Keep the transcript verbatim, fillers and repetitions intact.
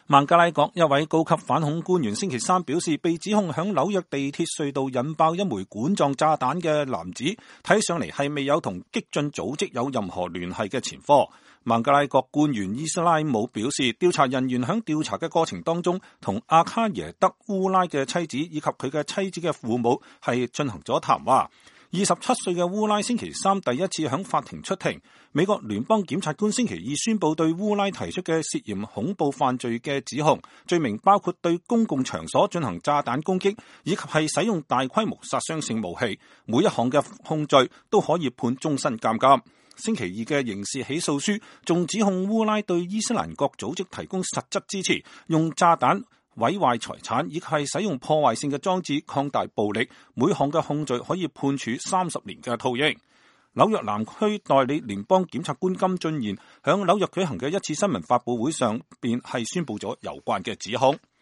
孟加拉國一位高級反恐官員星期三表示，被指控響紐約地鐵隧道引爆一枚管狀炸彈嘅男子，睇上嚟係未有同激進組織有任何聯繫嘅前科。孟加拉國官員伊斯拉姆表示，調查人員響調查嘅過程當中，同阿卡耶德烏拉嘅妻子以及佢嘅妻子嘅父母係進行咗談話。二十七歲嘅烏拉星期三第一次響法庭出庭。美國聯邦檢察官星期二宣布對烏拉提出嘅涉嫌恐怖犯罪嘅指控，罪名包括對公共場所進行炸彈攻擊，以及係使用大規模殺傷性武器。每一項嘅控罪都可以判終身監禁。星期二嘅刑事起訴書仲指控烏拉對伊斯蘭國組織提供實質支持，用炸彈毀壞財產，以及係使用破壞性嘅裝置擴大暴力。每項嘅控罪可以判處三十年嘅徒刑。紐約南區代理聯邦檢察官金俊賢響紐約舉行嘅一次新聞發佈會上邊係宣布咗有關嘅指控。